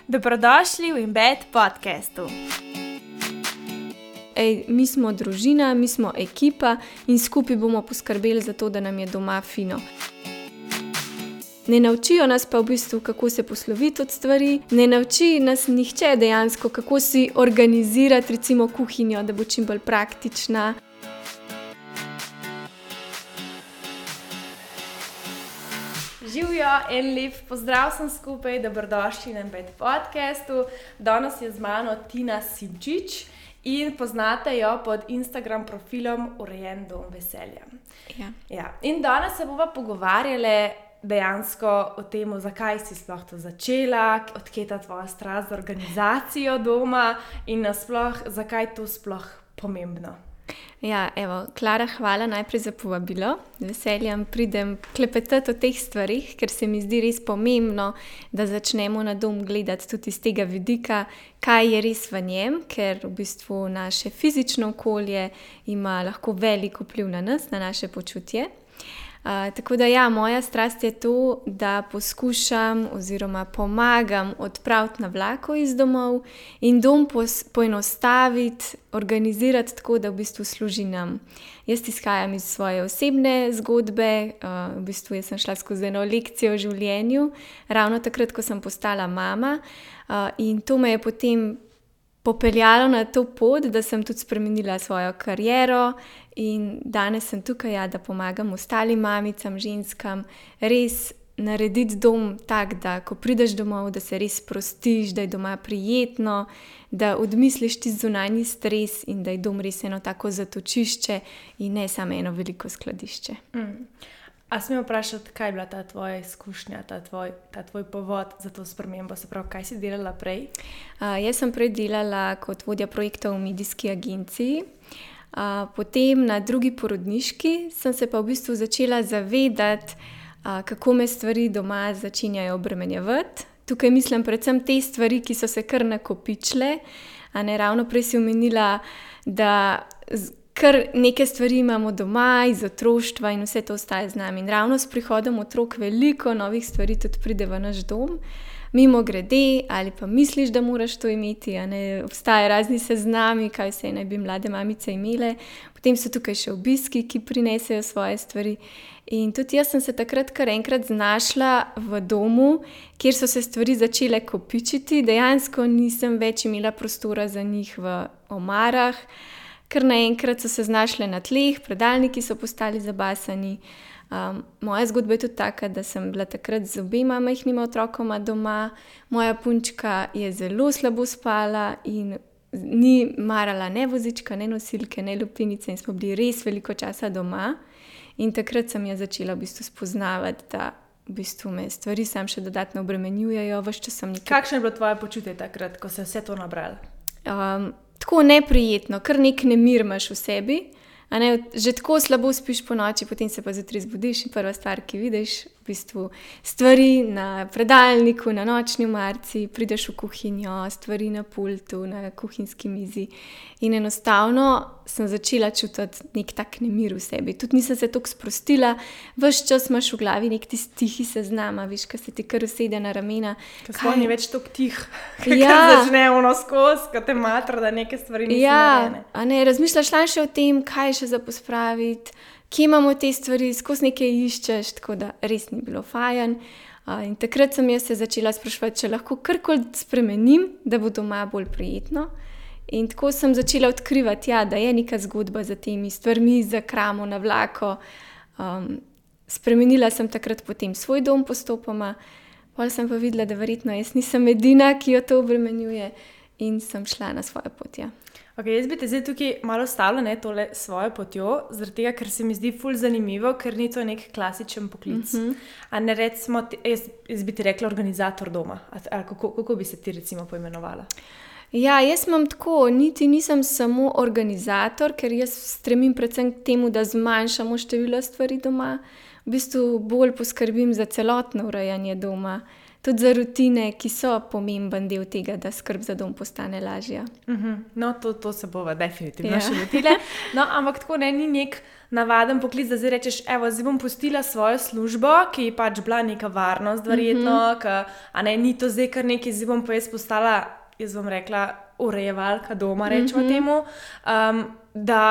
Dobrodošli v Embed podcastu. Mi smo družina, mi smo ekipa in skupaj bomo poskrbeli za to, da nam je doma fino. Ne naučijo nas pa v bistvu, kako se posloviti od stvari, ne nauči nas nihče dejansko, kako si organizirati recimo kuhinjo, da bo čim bolj praktična. Živijo, en lep pozdrav sem skupaj, dobrodošli na Embed podcastu. Danes je z mano Tina Simčič in poznate jo pod Instagram profilom Urejen dom veselja. Ja. In danes se bova pogovarjali dejansko o tem, zakaj si sploh to začela, odkje je ta tvoja strast za organizacijo doma in nasploh, zakaj je to sploh pomembno. Ja, evo, Klara, hvala najprej za povabilo. Z veseljem pridem klepetati o teh stvarih, ker se mi zdi res pomembno, da začnemo na dom gledati tudi iz tega vidika, kaj je res v njem, ker v bistvu naše fizično okolje ima lahko velik vpliv na nas, na naše počutje. Tako da ja, moja strast je to, da poskušam oziroma pomagam odpraviti navlako iz domov in dom poenostaviti, organizirati tako, da v bistvu služi nam. Jaz izhajam iz svoje osebne zgodbe, v bistvu jaz sem šla skozi eno lekcijo v življenju, ravno takrat, ko sem postala mama, in to me je potem popeljalo na to pot, da sem tudi spremenila svojo kariero in danes sem tukaj, da pomagam ostalim mamicam, ženskam, res narediti dom tak, da ko prideš domov, da se res sprostiš, da je doma prijetno, da odmisliš ti zunanji stres in da je dom res eno tako zatočišče in ne samo eno veliko skladišče. A smem vprašati, kaj je bila ta tvoja izkušnja, ta tvoj povod za to spremembo? Se pravi, kaj si delala prej? Jaz sem prej delala kot vodja projektov v medijski agenciji. Potem na drugi porodniški sem se pa v bistvu začela zavedati, kako me stvari doma začenjajo obremenjevati. Tukaj mislim predvsem te stvari, ki so se kar nakopičile. Ravno prej si omenila, da kar neke stvari imamo doma iz otroštva in vse to ostaje z nami. In ravno s prihodom otrok veliko novih stvari tudi pride v naš dom. Mimogrede, ali pa misliš, da moraš to imeti, obstajajo razni seznami, kaj vse naj bi mlade mamice imele. Potem so tukaj še obiski, ki prinesejo svoje stvari. In tudi jaz sem se takrat kar enkrat znašla v domu, kjer so se stvari začele kopičiti. Dejansko nisem več imela prostora za njih v omarah, ker naenkrat so se znašle na tleh, predalniki so postali zabasani. Moja zgodba je tudi taka, da sem bila takrat z obema majhnima otrokoma doma. Moja punčka je zelo slabo spala in ni marala ne vozička, ne nosilke, ne lupinice in smo bili res veliko časa doma. In takrat sem jo začela v bistvu spoznavati, da v bistvu me stvari sam še dodatno obremenjujejo. Kakšno je bilo tvoje počutje takrat, ko se je vse to nabralo? Tako neprijetno, kar nek nemir imaš v sebi. Že tako slabo spiš po noči, potem se pa zjutraj zbudiš in prva stvar, ki vidiš, v bistvu stvari na predalniku, na nočni omarici, prideš v kuhinjo, stvari na pultu, na kuhinjski mizi. In enostavno sem začela čutiti nek tak nemir v sebi. Tudi nisem se toliko sprostila, ves čas imaš v glavi nek tisti tihi seznam, veš, ko se ti kar usede na ramena. Ko ni več toliko tih, kar začne skozi, ko te matra, da neke stvari niso narejene. Razmišljaš še o tem, kaj še za pospraviti, kje imamo te stvari, skozi nekaj iščeš, tako da res ni bilo fajn. In takrat sem jaz se začela spraševati, če lahko karkoli spremenim, da bo doma bolj prijetno. In tako sem začela odkrivati, da je neka zgodba za temi stvarmi, za kramo, navlako. Spremenila sem takrat potem svoj dom postopoma, potem sem pa videla, da verjetno jaz nisem edina, ki jo to obremenjuje in sem šla na svojo pot. Jaz bi te zdaj tukaj malo stavila tole svojo potjo, zaradi tega, ker se mi zdi ful zanimivo, ker ni to nek klasičen poklic. Recimo, jaz bi ti rekla organizator doma. Kako bi se ti recimo poimenovala? Ja, jaz imam tako, niti nisem samo organizator, ker jaz stremim predvsem k temu, da zmanjšamo število stvari doma. V bistvu bolj poskrbim za celotno urejanje doma. Tudi za rutine, ki so pomemben del tega, da skrb za dom postane lažja. No, to se bova definitivno še lotile. No, ampak tako ni nek navaden poklic, da zdaj rečeš, evo, zdaj bom pustila svojo službo, ki je pač bila neka varnost, verjetno, ni to zdaj kar nekaj, zdaj bom pa jaz postala, jaz bom rekla, urejevalka doma, rečemo temu, da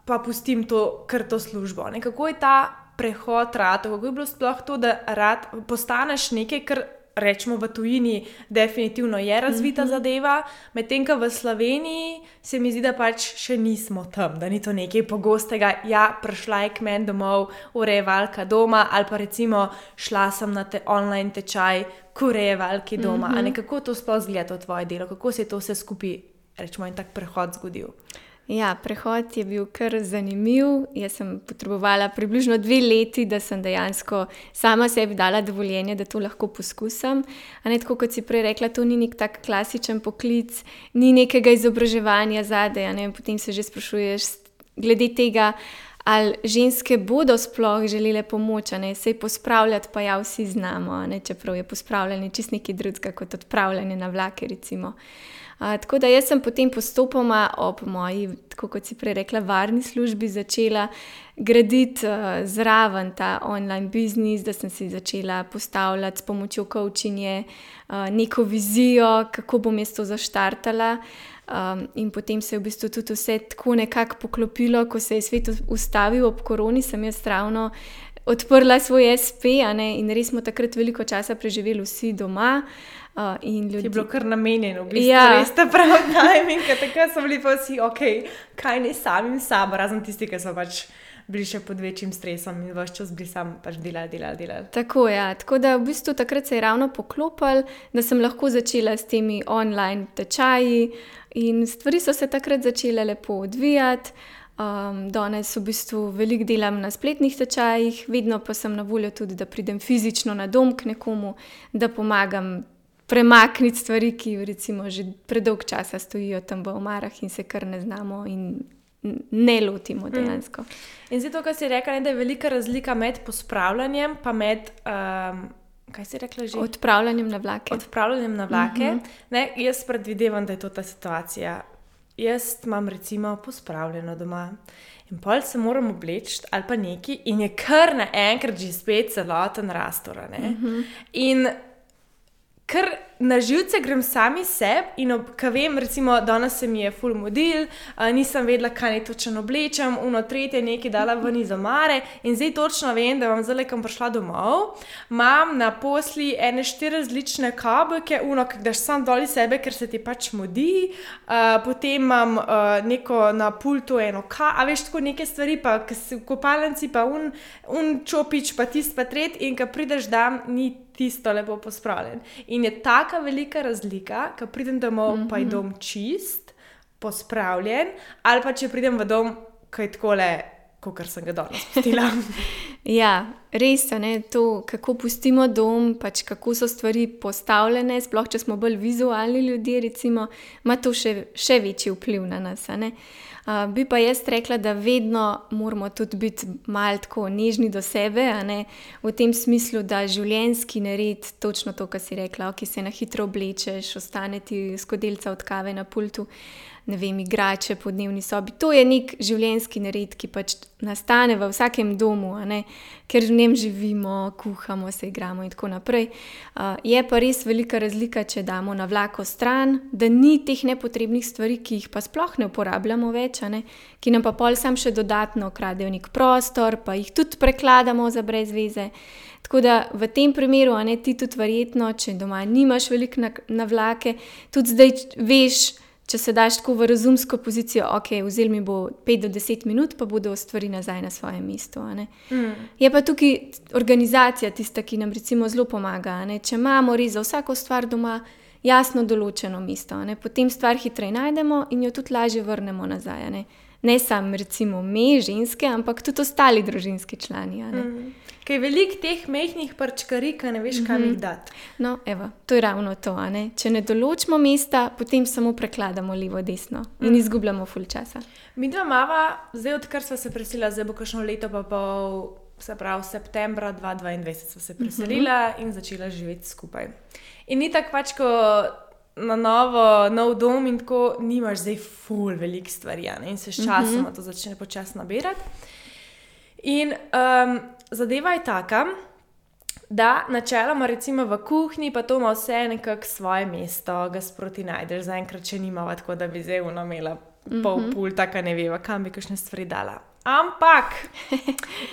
pa pustim to službo. Ne? Kako je ta prehod rad, kako je bilo sploh to, da rad postaneš nekaj, kar rečemo v tujini, definitivno je razvita zadeva, medtem ko v Sloveniji se mi zdi, da pač še nismo tam, da ni to nekaj pogostega, prišla je k meni domov, urejevalka doma, ali pa recimo šla sem na online tečaj k urejevalki doma. A nekako to sploh zgleda to tvoje delo, kako se je to vse skupaj, rečemo, in tak prehod zgodil? Ja, prehod je bil kar zanimiv. Jaz sem potrebovala približno 2 leti, da sem dejansko sama sebi dala dovoljenje, da to lahko poskusim. Tako kot si prej rekla, to ni nek tak klasičen poklic, ni nekega izobraževanja zadaj. Potem se že sprašuješ glede tega, ali ženske bodo sploh želele pomoč, sej pospravljati pa vsi znamo, čeprav je pospravljanje čisto nekaj drugega kot odpravljanje na vlake, recimo. Tako da jaz sem potem postopoma ob moji, tako kot si prej rekla, varni službi začela graditi zraven ta online biznis, da sem si začela postavljati s pomočjo coachinga neko vizijo, kako bom jaz to zaštartala. In potem se je v bistvu tudi vse tako nekako poklopilo, ko se je svet ustavil ob koroni, sem jaz ravno odprla svoj SP, in res smo takrat veliko časa preživeli vsi doma. Je bilo kar namenjeno, v bistvu res ta pravi timing, takrat so bili pa vsi, kaj ne samim sabo, razen tisti, ki so pač bili še pod večjim stresom in vaš čas bili sam pač delali. Tako da v bistvu takrat se je ravno poklopil, da sem lahko začela s temi online tečaji in stvari so se takrat začele lepo odvijati. Danes v bistvu veliko delam na spletnih tečajih, vedno pa sem na voljo tudi, da pridem fizično na dom k nekomu, da pomagam premakniti stvari, ki recimo že predolg časa stojijo tam v omarah in se kar ne znamo in ne lotimo dejansko. In zdaj to, kar si rekla, da je velika razlika med pospravljanjem pa med, kaj si rekla že? Odpravljanjem na vlake. Odpravljanjem na vlake. Jaz predvidevam, da je to ta situacija. Jaz imam recimo pospravljeno doma in pol se moram obleči ali pa nekaj in je kar naenkrat že spet celoten rastor. In kar na živce grem sami sebi in ko vem, recimo, danes se mi je ful mudil, nisem vedela, kaj naj točno oblečem, tretje nekaj dala ven iz omare in zdaj točno vem, da bom zdaj, ko bom prišla domov, imam na posli 4 različne kabelke, ki daš sam dol iz sebe, ker se ti pač mudi, potem imam neko na pultu a veš, tako neke stvari, pa v kopalnici pa čopič, pa tist pa tret in ko prideš dan, ni tisto lepo pospravljen. In je taka velika razlika, ko pridem domov, pa je dom čist, pospravljen, ali pa če pridem v dom, ko je takole, kakor sem ga danes pustila. Ja, res je, to, kako pustimo dom, pač kako so stvari postavljene, sploh če smo bolj vizualni ljudje, recimo, ima to še večji vpliv na nas. Bi pa jaz rekla, da vedno moramo tudi biti malo tako nežni do sebe, v tem smislu, da življenjski nered, točno to, kar si rekla, ki se na hitro oblečeš, ostane ti skodelica od kave na pultu, ne vem, igrače po dnevni sobi. To je nek življenjski nered, ki pač nastane v vsakem domu, ker v njem živimo, kuhamo, se igramo in tako naprej. Je pa res velika razlika, če damo na vlako stran, da ni teh nepotrebnih stvari, ki jih pa sploh ne uporabljamo več, ki nam pa pol sam še dodatno kradejo nek prostor, pa jih tudi prekladamo za brez veze. Tako da v tem primeru, ti tudi verjetno, če doma nimaš veliko na vlake, tudi zdaj veš, če se daš tako v razumsko pozicijo, vzeli mi bo 5 do 10 minut, pa bodo stvari nazaj na svojem mestu. Je pa tukaj organizacija tista, ki nam recimo zelo pomaga. Če imamo res za vsako stvar doma jasno določeno mesto, potem stvar hitreje najdemo in jo tudi lažje vrnemo nazaj. Ne samo recimo me, ženske, ampak tudi ostali družinski člani. Kaj je veliko teh mehkih parčkarij, ki ne veš, kam jih dati. No, evo, to je ravno to. Če ne določimo mesta, potem samo prekladamo levo, desno in izgubljamo ful časa. Mi dva mava, zdaj odkar sva se preselila, zdaj bo kakšno leto pa pol, se pravi septembra 2022 sva se preselila in začela živeti skupaj. In ni tako pač, ko na nov dom in tako nimaš zdaj ful veliko stvari, in se s časoma to začne počasi nabirati. In zadeva je taka, da načeloma recimo v kuhinji pa to ima vse nekako svoje mesto, ga sproti najdeš, zaenkrat še nimava, tako da bi zdaj imela pol pulta, ka ne veva, kam bi kakšne stvari dala. Ampak,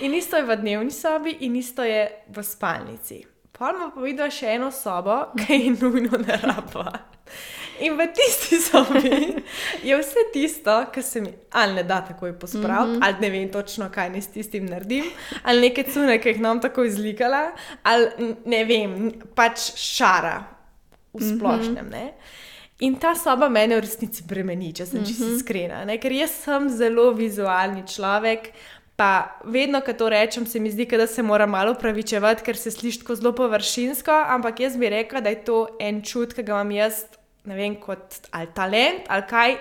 in isto je v dnevni sobi in isto je v spalnici. Pol ima pa videla še eno sobo, ki je nujno ne rabila. In v tisti sobi je vse tisto, kar se mi ali ne da takoj pospraviti, ali ne vem točno, kaj ne s tistim naredim, ali neke cune, ki jih nam tako izlikala, ali ne vem, pač šara v splošnem, ne. In ta soba mene v resnici bremeni, če sem čisto iskrena, ne, ker jaz sem zelo vizualni človek, pa vedno, ko to rečem, se mi zdi, da se mora malo opravičevati, ker se sliši tako zelo površinsko, ampak jaz bi rekla, da je to en čut, ki ga imam jaz, ne vem, kot ali talent, ali kaj,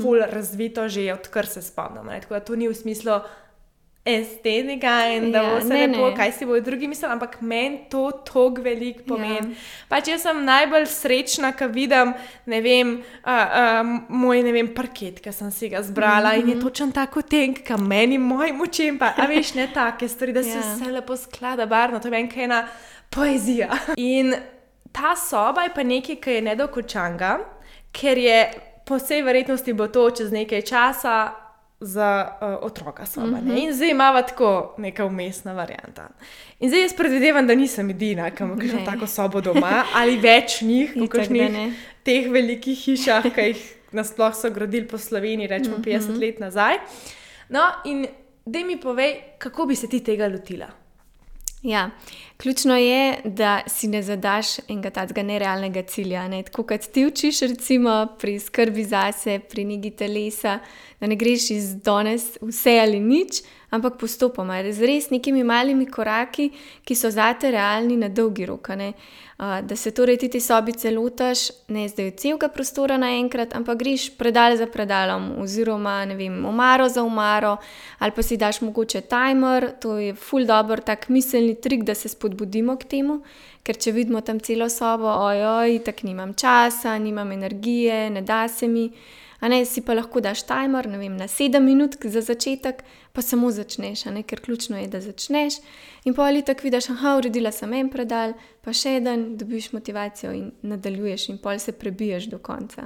ful razvito že odkar se spomnim. Tako da to ni v smislu estetika in da bo vse lepo, kaj si bojo drugi mislili, ampak meni to toliko veliko pomeni. Pač jaz sem najbolj srečna, ko vidim, ne vem, moj, ne vem, parket, ki sem si ga zbrala in je točno tako tenk, ka meni, mojim očem pa, a veš, ne take stvari, da se vse lepo sklada barvno, to je meni ena poezija. In ta soba je pa nekaj, ki je nedokončanga, ker je po vsej verjetnosti bo to čez nekaj časa za otroka soba. In zdaj imava tako neka vmesna varianta. In zdaj jaz predvidevam, da nisem edina, ki ima kakšno tako sobo doma, ali več njih, v kakšnih teh velikih hišah, ki jih nasploh so gradili po Sloveniji, rečemo 50 let nazaj. No, in daj mi povej, kako bi se ti tega lotila? Ja, ključno je, da si ne zadaš enega takega nerealnega cilja. Ne? Tako kot ti učiš recimo pri skrbi zase, pri negi telesa, da ne greš iz danes vse ali nič, ampak postopoma, z res nekimi malimi koraki, ki so zate realni na dolgi rok. Da se torej ti sobice lotaš, ne zdaj celega prostora naenkrat, ampak greš predal za predalom oziroma, ne vem, omaro za omaro, ali pa si daš mogoče timer, to je ful dober tak miselni trik, da se spodbudimo k temu, ker če vidimo tam celo sobo, tako nimam časa, nimam energije, ne da se mi, si pa lahko daš timer, ne vem, na 7 minut za začetek, pa samo začneš, ker ključno je, da začneš in pa ali tako vidiš, uredila sem en predal, pa še eden, dobiš motivacijo in nadaljuješ in pol se prebiješ do konca.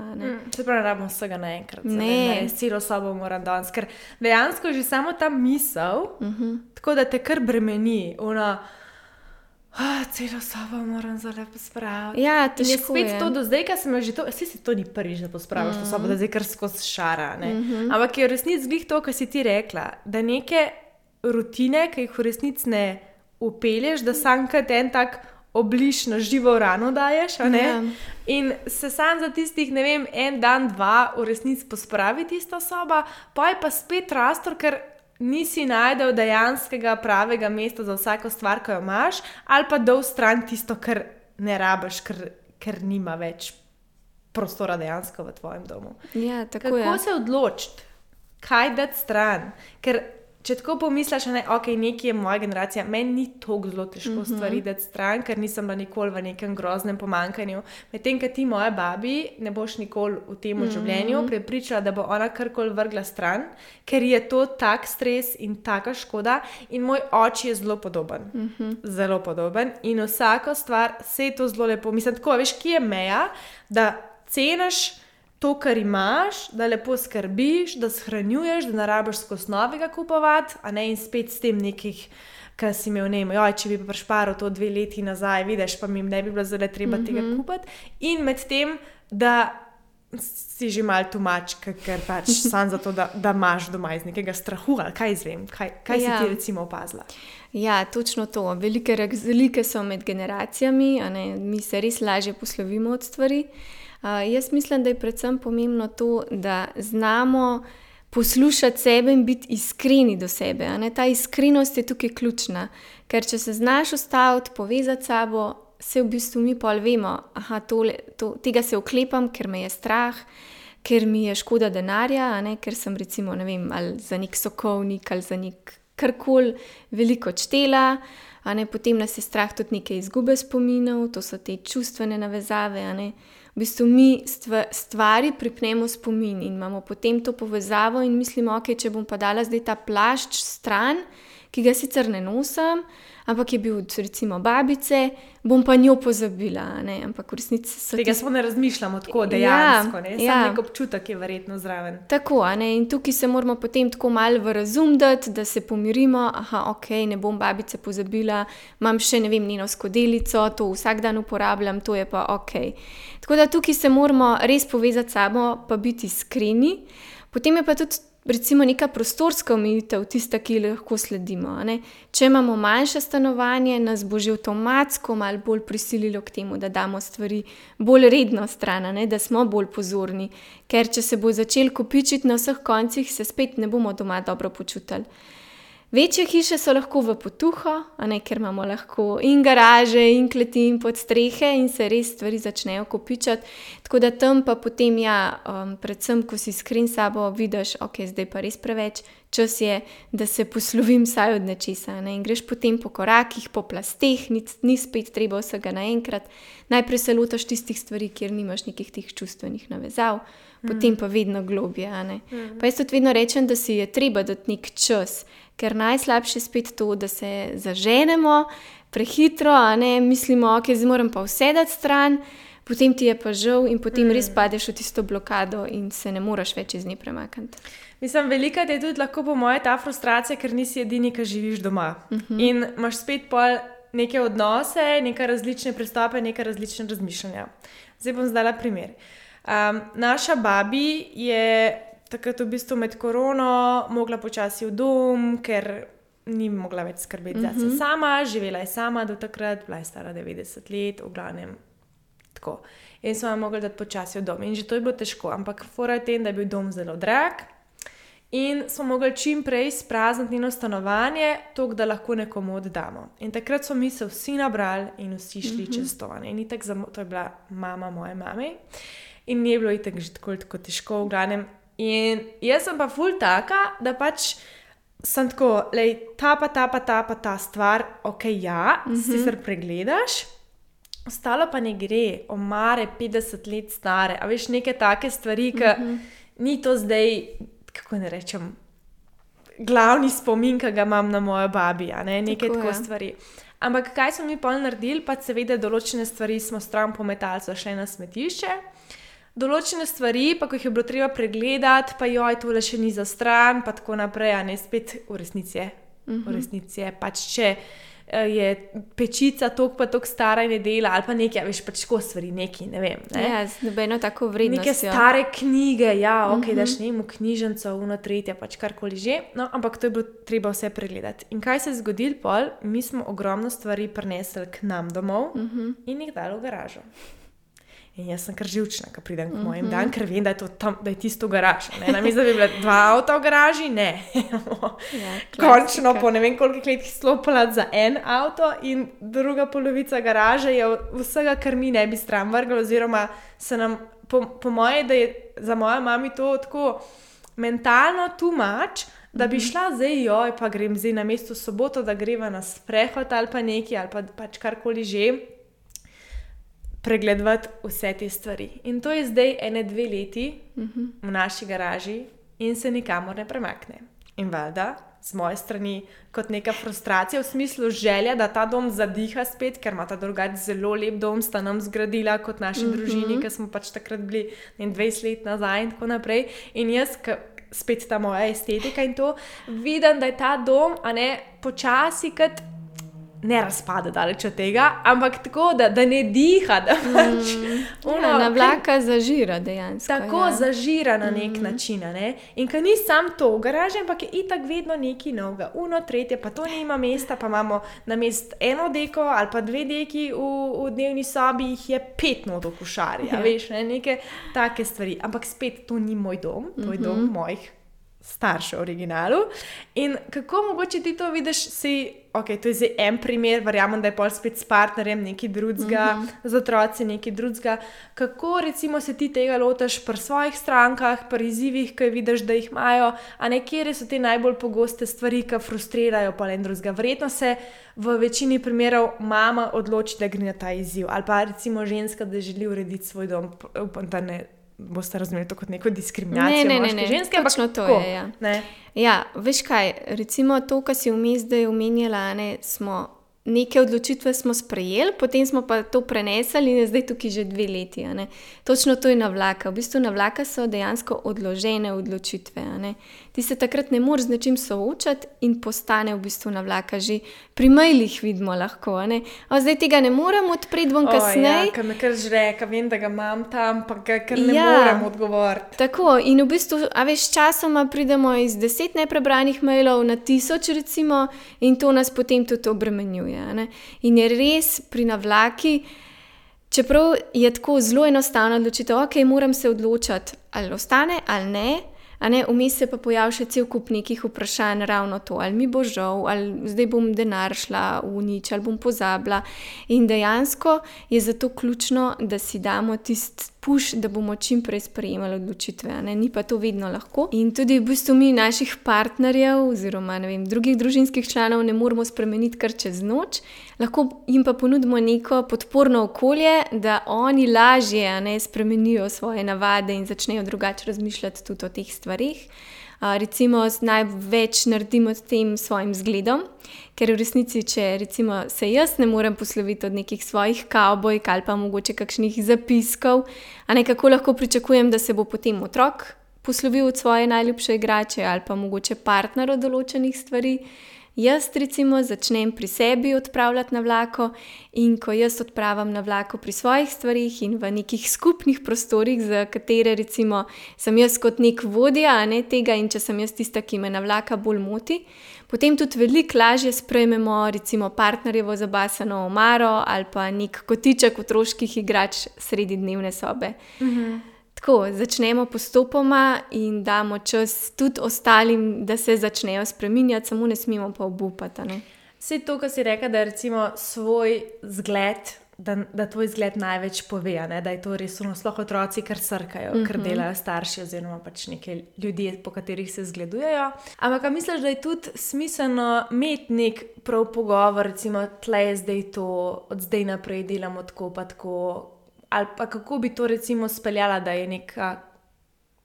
Se pravi, rabimo vsega naenkrat. Ne, celo sobo moram danes, ker dejansko že samo ta misel, tako da te kar bremeni, celo sobo moram zelo pospraviti. Ja, težko je. In je spet to do zdaj, ko sem že to, si to ni prvič, da pospraviš to sobo, da zdaj kar skozi šara, ne. Ampak je v resnici glih to, kar si ti rekla, da neke rutine, ki jih v resnici ne upelješ, da sam kot en tak obliž na živo rano daješ, in se sam za tistih, ne vem, en dan, dva v resnici pospravi tista soba, pa je pa spet rastor, ker nisi najdel dejanskega pravega mesta za vsako stvar, ki jo imaš, ali pa dol stran tisto, kar ne rabiš, ker nima več prostora dejansko v tvojem domu. Ja, tako je. Kako se odločiti, kaj dati stran? Ker če tako pomisliš, nekaj je moja generacija, meni ni toliko zelo težko stvari dati stran, ker nisem bila nikoli v nekem groznem pomanjkanju. Medtem, ko ti moja babi ne boš nikoli v tem življenju prepričala, da bo ona karkoli vrgla stran, ker je to tak stres in taka škoda. In moj oči je zelo podoben. Zelo podoben. In vsako stvar se je to zelo lepo. Mislim, tako, veš, kje je meja, da ceniš to, kar imaš, da lepo skrbiš, da shranjuješ, da ne rabiš skozi novega kupovati, in spet s tem nekih, kar si imel, če bi pa prišparal to 2 leti nazaj, vidiš, pa mi ne bi bilo zelo treba tega kupiti. In med tem, da si že malo tumač, ker pač sam zato, da imaš doma iz nekega strahu, ali kaj izvem, kaj si ti recimo opazila? Ja, točno to. Velike razlike so med generacijami, mi se res lažje poslovimo od stvari. Jaz mislim, da je predvsem pomembno to, da znamo poslušati sebe in biti iskreni do sebe. Ta iskrenost je tukaj ključna, ker če se znaš ustaviti, povezati s sabo, se v bistvu mi pol vemo, tega se oklepam, ker me je strah, ker mi je škoda denarja, ker sem recimo, ne vem, ali za nek sokovnik ali za nek karkoli veliko odštela, potem nas je strah tudi neke izgube spominov, to so te čustvene navezave, V bistvu mi stvari pripnemo spomin in imamo potem to povezavo in mislimo, če bom pa dala zdaj ta plašč stran, ki ga sicer ne nosim, ampak je bil od recimo babice, bom pa njo pozabila, ne? Ampak v resnici so Tega smo ne razmišljamo tako dejansko, ne? Sam nek občutek je verjetno zraven. Tako, ne? In tukaj se moramo potem tako malo v razum dati, da se pomirimo, ne bom babice pozabila, imam še, ne vem, njeno skodelico, to vsak dan uporabljam, to je pa Tako da tukaj se moramo res povezati s sabo, pa biti iskreni. Potem je pa tudi recimo neka prostorska omejitev, tista, ki lahko sledimo. Ne? Če imamo manjše stanovanje, nas bo že avtomatsko malo bolj prisililo k temu, da damo stvari bolj redno stran, ne? Da smo bolj pozorni. Ker če se bo začel kopičiti na vseh koncih, se spet ne bomo doma dobro počutili. Večje hiše so lahko v potuho, ker imamo lahko in garaže, in kleti, in podstrehe in se res stvari začnejo kopičati. Tako da tam pa potem, predvsem, ko si iskren s sabo, vidiš, zdaj pa res preveč, čas je, da se poslovim vsaj od nečesa. In greš potem po korakih, po plasteh, ni spet treba vsega naenkrat. Najprej se lotaš tistih stvari, kjer nimaš nekih teh čustvenih navezav, potem pa vedno globje. Pa jaz tudi vedno rečem, da si je treba dati nek čas, ker najslabše je spet to, da se zaženemo prehitro, mislimo, zdaj moram pa vse dati stran, potem ti je pa žal in potem res padeš v tisto blokado in se ne moreš več iz nje premakniti. Mislim, velikrat je tudi lahko po moje ta frustracija, ker nisi edini, ki živiš doma. In imaš spet pol neke odnose, neke različne pristope, neke različne razmišljanja. Zdaj bom zdala primer. Naša babi je takrat v bistvu med korono mogla počasi v dom, ker ni mogla več skrbeti zase sama, živela je sama do takrat, bila je stara 90 let, v glavnem tako. In smo jo mogli dati počasi v dom. In že to je bilo težko, ampak fora je tem, da je bil dom zelo drag in smo mogli čim prej sprazniti njeno stanovanje, toliko, da lahko nekomu oddamo. In takrat smo mi se vsi nabrali in vsi šli čez to. In itak to je bila mama moje mame in ni bilo itak že tako težko, v glavnem. In jaz sem pa ful taka, da pač sem tako, ta stvar, sicer pregledaš, ostalo pa ne gre, omare 50 let stare, a veš, neke take stvari, ki ni to zdaj, kako ne rečem, glavni spomin, ki ga imam na mojo babi, neke tako stvari. Ampak kaj smo mi pol naredili, pa seveda določene stvari smo stran pometali, so šle na smetišče, določene stvari, pa ko jih je bilo treba pregledati, pa tole še ni za stran, pa tako naprej, spet v resnici je, pač če je pečica toliko pa toliko stara in je dela, ali pa nekaj, veš, pač tako stvari, nekaj, ne vem. Ne? Ja, z nobeno tako vrednostjo. Neke stare knjige, daš ne vem, v knjižnico, tretje, pač karkoli že, no, ampak to je bilo treba vse pregledati. In kaj se je zgodilo pol? Mi smo ogromno stvari prinesli k nam domov in jih dali v garažo. In jaz sem kar živčna, ko pridem k mojim dan, ker vem, da je tisto garaža. Namesto da bi bila 2 avta v garaži, ne. Končno po ne vem koliko letih slopala za 1 avto in druga polovica garaže je vsega, kar mi ne bi stran vrgli, oziroma se nam, po moje, da je za mojo mami to tako mentalno too much, da bi šla zdaj, pa grem zdaj na mesto soboto, da greva na sprehod ali pa nekaj, ali pa pač karkoli že, pregledovati vse te stvari. In to je zdaj 1-2 leti v naši garaži in se nikamor ne premakne. In valjda, z moje strani, kot neka frustracija, v smislu želja, da ta dom zadiha spet, ker ima ta drugače zelo lep dom, sta nam zgradila kot naši družini, ker smo pač takrat bili 20 let nazaj in tako naprej. In jaz, spet ta moja estetika in to, vidim, da je ta dom, počasi kot ne razpada daleč od tega, ampak tako, da ne diha, da pač navlaka zažira dejansko. Tako zažira na nek način, In ko ni sam to v garaži, ampak je itak vedno nekaj novega. Tretje, pa to nima mesta, pa imamo namesto 1 deko ali pa 2 deki v dnevni sobi, jih je 5 not v košarji, veš, neke take stvari. Ampak spet, to ni moj dom, to je dom mojih staršev v originalu. In kako mogoče ti to vidiš, to je zdaj en primer, verjamem, da je pol spet s partnerjem nekaj drugega, z otroci nekaj drugega. Kako recimo se ti tega lotaš pri svojih strankah, pri izzivih, ki vidiš, da jih imajo, kje so te najbolj pogoste stvari, ki frustrirajo pol en drugega. Verjetno se v večini primerov mama odloči, da gre na ta izziv, ali pa recimo ženska, da želi urediti svoj dom, upam, da ne boste razumeli to kot neko diskriminacijo moške ženske. Točno to je, ja. Ne? Ja, veš kaj, recimo to, kar si vmes zdaj omenjala, smo neke odločitve smo sprejeli, potem smo pa to prenesli in je zdaj tukaj že 2 leti. Točno to je navlaka. V bistvu navlaka so dejansko odložene odločitve. Ti se takrat ne moreš z nečim soočati in postane v bistvu navlaka. Že pri mailih vidimo lahko. Zdaj tega ne morem odpreti, bom kasneje. Ja, ker me kar žre, ker vem, da ga imam tam, pa ker ne morem odgovoriti. Tako, in v bistvu, časoma pridemo iz 10 neprebranih mailov na 1000 recimo in to nas potem tudi obremenjuje. In je res pri navlaki, čeprav je tako zelo enostavno odločitev, ok, moram se odločiti, ali ostane ali ne, vmes se pa pojavi še cel kup nekih vprašanj, ravno to, ali mi bo žal, ali zdaj bom denar šla v nič, ali bom pozabila. In dejansko je zato ključno, da si damo tisti push, da bomo čim prej sprejemali odločitve. Ni pa to vedno lahko. In tudi v bistvu mi naših partnerjev oziroma drugih družinskih članov ne moremo spremeniti kar čez noč. Lahko jim pa ponudimo neko podporno okolje, da oni lažje spremenijo svoje navade in začnejo drugače razmišljati tudi o teh stvarih. Recimo največ naredimo s tem svojim zgledom, ker v resnici, če recimo se jaz ne morem posloviti od nekih svojih kavbojk ali pa mogoče kakšnih zapiskov, kako lahko pričakujem, da se bo potem otrok poslovil od svoje najljubše igrače ali pa mogoče partner od določenih stvari. Jaz recimo začnem pri sebi odpravljati navlako in ko jaz odpravim navlako pri svojih stvarih in v nekih skupnih prostorih, za katere recimo sem jaz kot nek vodja tega in če sem jaz tista, ki me navlaka bolj moti, potem tudi veliko lažje sprejmemo recimo partnerjevo zabasano omaro ali pa nek kotiček otroških igrač sredi dnevne sobe. Tako, začnemo postopoma in damo čas tudi ostalim, da se začnejo spreminjati, samo ne smemo pa obupati. Vse to, kar si rekla, da je recimo svoj zgled, da tvoj zgled največ pove, da je to res sploh otroci, kar srkajo, kar delajo starši oziroma pač neki ljudje, po katerih se zgledujejo. Ampak misliš, da je tudi smiselno imeti nek prav pogovor, recimo tle zdaj to, od zdaj naprej delamo tako pa tako, ali pa kako bi to recimo speljala, da je neka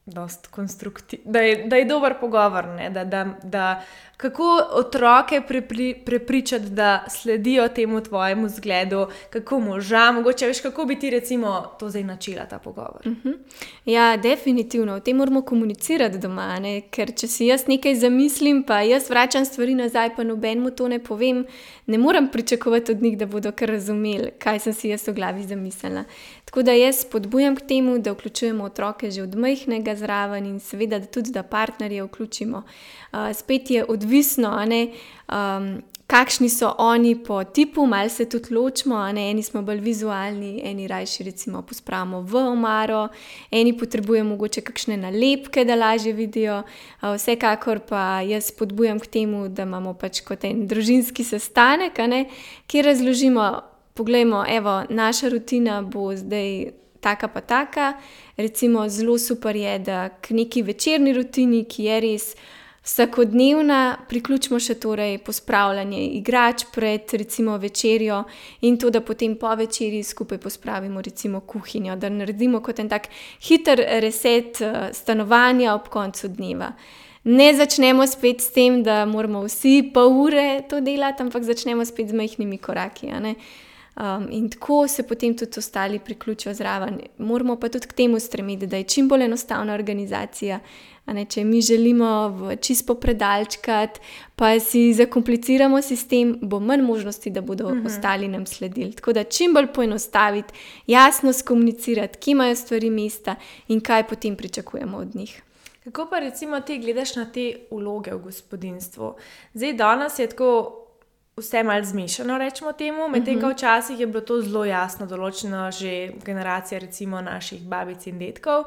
dost da je dober pogovor, da kako otroke prepričati, da sledijo temu tvojemu zgledu, kako moža, mogoče veš, kako bi ti recimo to zdaj načela ta pogovor. Ja, definitivno, o tem moramo komunicirati doma, ker če si jaz nekaj zamislim, pa jaz vračam stvari nazaj, pa nobenemu to ne povem, ne morem pričakovati od njih, da bodo kar razumeli, kaj sem si jaz v glavi zamislila. Tako da jaz spodbujam k temu, da vključujemo otroke že od majhnega zraven in seveda tudi, da partnerje vključimo. Spet je odvisno, kakšni so oni po tipu, malo se tudi ločimo, eni smo bolj vizualni, eni rajši recimo pospravimo v omaro, eni potrebujemo mogoče kakšne nalepke, da lažje vidijo. Vsekakor pa jaz spodbujam k temu, da imamo pač kot en družinski sestanek, kjer razložimo, poglejmo, evo, naša rutina bo zdaj taka pa taka, recimo zelo super je, da k neki večerni rutini, ki je res vsakodnevna, priključimo še torej pospravljanje igrač pred recimo večerjo in to, da potem po večerji skupaj pospravimo recimo kuhinjo, da naredimo kot en tak hiter reset stanovanja ob koncu dneva. Ne začnemo spet s tem, da moramo vsi pol ure to delati, ampak začnemo spet z majhnimi koraki, in tako se potem tudi ostali priključijo zraven. Moramo pa tudi k temu stremeti, da je čim bolj enostavna organizacija. Če mi želimo čisto predalčkati, pa si zakompliciramo sistem, bo manj možnosti, da bodo ostali nam sledili. Tako da čim bolj poenostaviti, jasno skomunicirati, kje imajo stvari mesta in kaj potem pričakujemo od njih. Kako pa recimo ti gledaš na te vloge v gospodinjstvu? Zdaj danes je tako vse malo zmešano, rečemo temu, medtem ko včasih je bilo to zelo jasno določeno že generacija recimo naših babic in dedkov,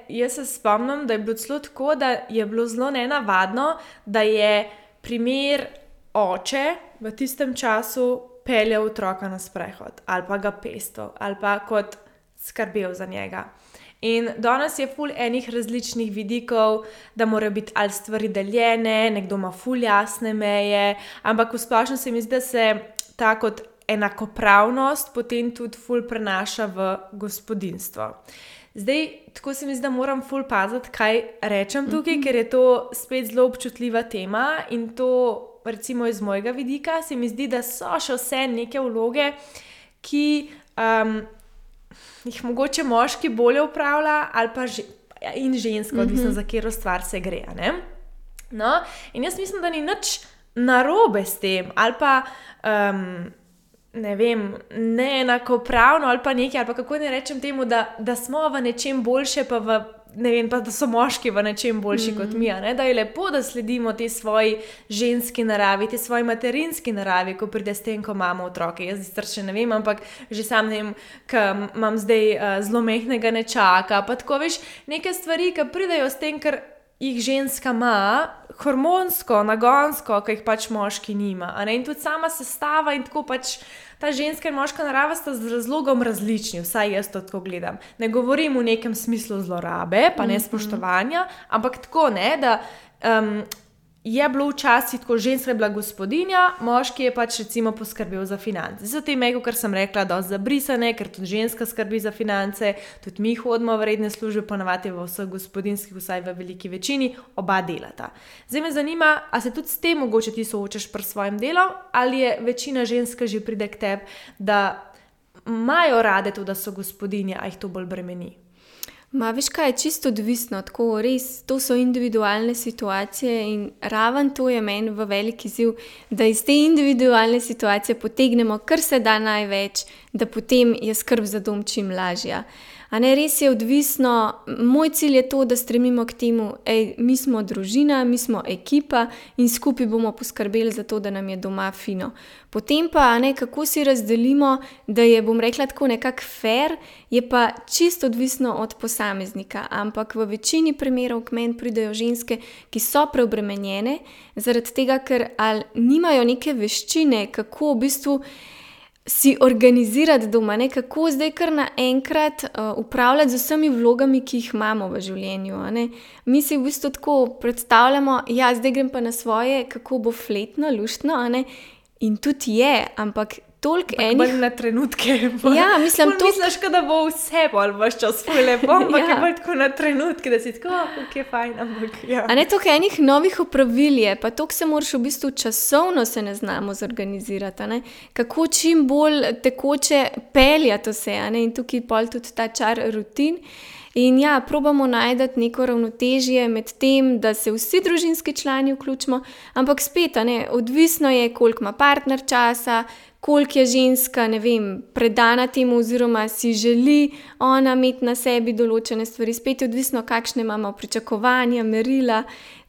Jaz se spomnim, da je bilo celo tako, da je bilo zelo nenavadno, da je primer oče v tistem času peljal otroka na sprehod ali pa ga pestil ali pa kot skrbel za njega. In danes je ful enih različnih vidikov, da morajo biti ali stvari deljene, nekdo ima ful jasne meje, ampak v splošno se mi zdi, da se ta kot enakopravnost potem tudi ful prenaša v gospodinjstvo. Zdaj, tako se mi zdi, da moram ful paziti, kaj rečem tukaj, ker je to spet zelo občutljiva tema in to, recimo iz mojega vidika, se mi zdi, da so še vse neke vloge, ki jih mogoče moški bolje upravlja ali pa in ženska, odvisno za katero stvar se gre. Ne? No, in jaz mislim, da ni nič narobe s tem ali pa ne vem, neenakopravno ali pa nekaj, ali pa kako ne rečem temu, da smo v nečem boljše, pa ne vem, pa da so moški v nečem boljši kot mi, ne? Da je lepo, da sledimo te svoji ženski naravi, te svoji materinski naravi, ko pride s tem, ko imamo otroke. Jaz še ne vem, ampak že sam ne vem, ko imam zdaj zelo mehkega nečaka, pa tako veš, neke stvari, ki pridejo s tem, ker jih ženska ima, hormonsko, nagonsko, ki jih pač moški nima. In tudi sama sestava in tako pač ta ženska in moška narava sta z razlogom različni, vsaj jaz to tako gledam. Ne govorim v nekem smislu zlorabe, pa nespoštovanja, ampak tako ne, da je bilo včasih tako, ženska je bila gospodinja, moški je pač recimo poskrbel za finance. Zdaj te meko, kar sem rekla, dosti zabrisane, ker tudi ženska skrbi za finance, tudi mi hodimo v redne službe, ponavadi v vseh gospodinjskih, vsaj v veliki večini, oba delata. Zdaj me zanima, a se tudi s tem mogoče ti soočaš pri svojem delu, ali je večina ženska že pride k tebi, da imajo rade to, da so gospodinje, a jih to bolj bremeni? Veš kaj, je čisto odvisno, tako res, to so individualne situacije in raven to je meni v veliki izziv, da iz te individualne situacije potegnemo kar se da največ, da potem je skrb za dom čim lažja. Res je odvisno, moj cilj je to, da stremimo k temu, mi smo družina, mi smo ekipa in skupaj bomo poskrbeli za to, da nam je doma fino. Potem pa, kako si razdelimo, da je, bom rekla tako nekako fair, je pa čisto odvisno od posameznika, ampak v večini primerov k meni pridejo ženske, ki so preobremenjene, zaradi tega, ker ali nimajo neke veščine, kako v bistvu si organizirati doma, kako zdaj kar naenkrat upravljati z vsemi vlogami, ki jih imamo v življenju. Mi si v bistvu tako predstavljamo, zdaj grem pa na svoje, kako bo fletno, luštno, in tudi je, ampak toliko enih... Bolj na trenutke. Ja, mislim, to... Misliš, da bo vse bolj vaš čas lepo, ampak je bolj tako na trenutke, da si tako, ok, fajn, ampak ja. Toliko enih novih opravil je, pa toliko se moraš v bistvu časovno se ne znamo zorganizirati, kako čim bolj tekoče peljati vse, in tukaj pol tudi ta čar rutin. In probamo najti neko ravnotežje med tem, da se vsi družinski člani vključimo, ampak spet, odvisno je, koliko ima partner časa, koliko je ženska, ne vem, predana temu oziroma si želi ona imeti na sebi določene stvari, spet je odvisno, kakšne imamo pričakovanja, merila.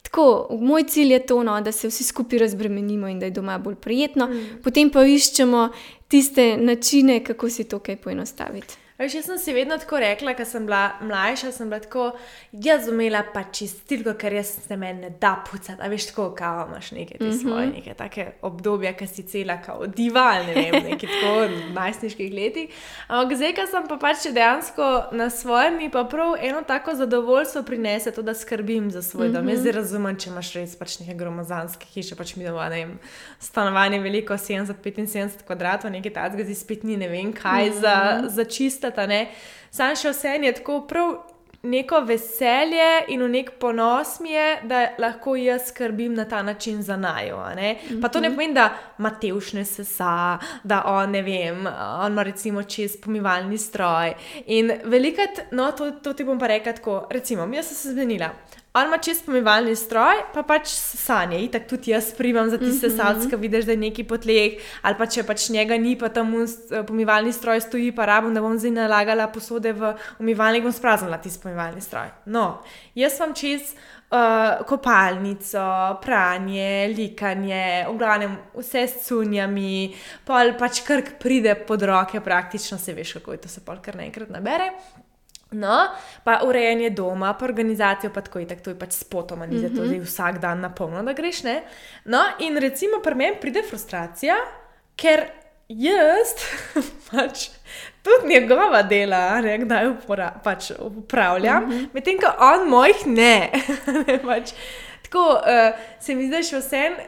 Tako, moj cilj je to, da se vsi skupaj razbremenimo in da je doma bolj prijetno, potem pa iščemo tiste načine, kako si to kaj poenostaviti. Jaz sem si vedno tako rekla, ko sem bila mlajša, sem bila tako, jaz umela pa čistilko, ker jaz se meni ne da pucati. A veš, tako, kao imaš neke te svoje, neke take obdobja, ki si cela kao dival, ne vem, neki tako v najstniških letih. Ampak zdaj, ko sem pa pač dejansko na svojem, mi pa prav eno tako zadovoljstvo prinese to, da skrbim za svoj dom. Jaz zdaj razumem, če imaš res pač neke gromozanske hiše, pač mi doma, ne vem, stanovanje veliko, 70-75 kvadratov, nekaj tacga, zdaj spet ni ne vem kaj za čist. Sam še vse je tako prav neko veselje in v nek ponos mi je, da lahko jaz skrbim na ta način za naju. Pa to ne pomeni, da Matevš ne sesa, da on, ne vem, on ima recimo čez pomivalni stroj. In velikrat, to ti bom pa rekla tako, recimo, jaz sem se zmenila. On ima čez pomivalni stroj, pa pač sanje. Itak tudi jaz primam za tiste sesalce, ko vidiš, da je neki po tleh, ali pa če pač njega ni, pa tam pomivalni stroj stoji, pa rabim, da bom zdaj nalagala posode v umivalnik, bom spraznila tisti pomivalni stroj. Jaz vam čez kopalnico, pranje, likanje, v glavnem vse s cunjami, pol pač kar pride pod roke praktično, se veš, kako je to se pol kar naenkrat nabere. Pa urejanje doma, pa organizacijo, pa tako itak, to je pač spotoma, ni za to zdaj vsak dan na polno, da greš, ne? In recimo pri meni pride frustracija, ker jaz pač tudi njegova dela, kdaj pač upravljam, medtem ko on mojih ne. Tako, se mi zdaj še vsem,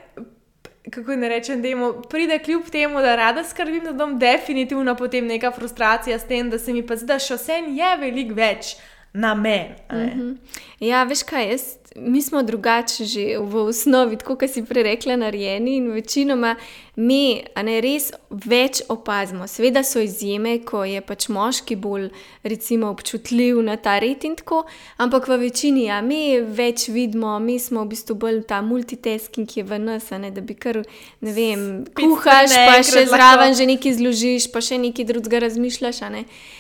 kako ne rečem, pride kljub temu, da rada skrbim za dom, definitivno potem neka frustracija s tem, da se mi pa zdi, da še vse je veliko več na meni. Ja, veš kaj, mi smo drugače že v osnovi, tako kot si prej rekla, narejeni in večinoma mi res več opazimo. Seveda so izjeme, ko je pač moški bolj recimo občutljiv na ta red in tako, ampak v večini, mi več vidimo, mi smo v bistvu bolj ta multitasking, ki je v nas, da bi kar, ne vem, kuhaš, pa še zraven že nekaj zložiš, pa še nekaj drugega razmišljaš,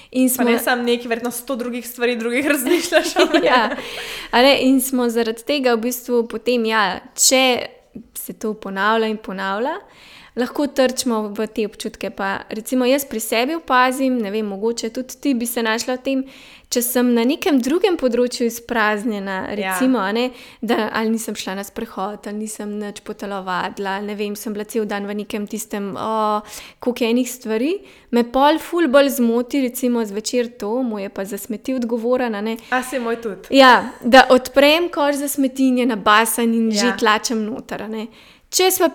Pa ne samo nekaj, verjetno 100 drugih stvari, drugih razmišljaš. Ja, in smo zaradi tega v bistvu potem, če se to ponavlja in ponavlja, lahko trčimo v te občutke. Pa recimo jaz pri sebi opazim, ne vem, mogoče tudi ti bi se našla v tem, če sem na nekem drugem področju izpraznjena, recimo, da ali nisem šla na sprehod, ali nisem nič potelovadila, ne vem, sem bila cel dan v nekem tistem, koliko enih stvari, me pol ful bolj zmoti, recimo zvečer to, mu je pa za smeti odgovoren, A se moj tudi. Ja, da odprem koš za smeti in je nabasan in že tlačem noter, Če sem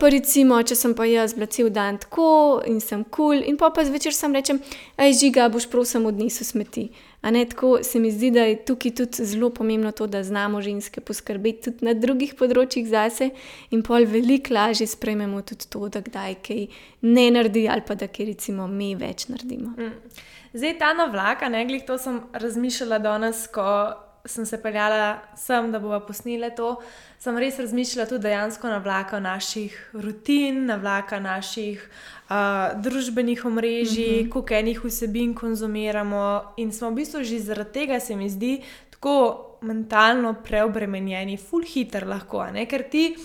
pa jaz bila cel dan tako in sem cool in pa zvečer sam rečem, Žiga, boš prosim odnesel smeti. Tako se mi zdi, da je tukaj tudi zelo pomembno to, da znamo ženske poskrbeti tudi na drugih področjih zase in pol veliko lažje sprejmemo tudi to, da kdaj kaj ne naredi ali pa da kaj recimo mi več naredimo. Zdaj ta na vlak, glih to sem razmišljala danes, ko sem se peljala sem, da bova posnela to, sem res razmišljala tudi dejansko na vlaka naših rutin, na vlaka naših družbenih omrežij, koliko enih vsebin konzumiramo in smo v bistvu že zaradi tega, se mi zdi, tako mentalno preobremenjeni, ful hiter lahko, ker ti,